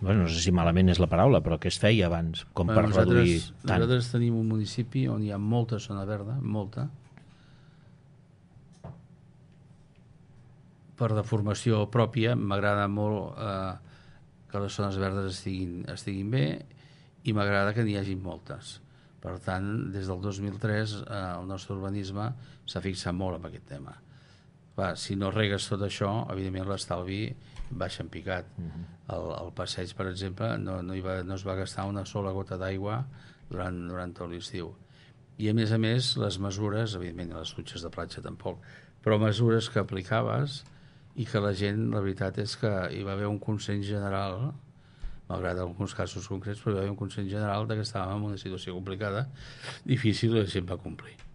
Bueno, no sé si malament és la paraula, però què es feia abans, com per reduir tant? Nosaltres tenim un municipi on hi ha molta zona verda, molta, per deformació pròpia. M'agrada molt que les zones verdes estiguin bé, i m'agrada que n'hi hagi moltes. Per tant, des del 2003 el nostre urbanisme s'ha fixat molt en aquest tema. Clar, si no regues tot això, evidentment l'estalvi baixa en picat. El passeig, per exemple, no es va gastar una sola gota d'aigua durant tot l'estiu. I a més, les mesures, evidentment les dutxes de platja tampoc, però mesures que aplicaves i que la gent, la veritat és que hi va haver un consens general, malgrat alguns casos concrets, però hi va haver un consens general de que estàvem en una situació complicada, difícil, i la gent va complir.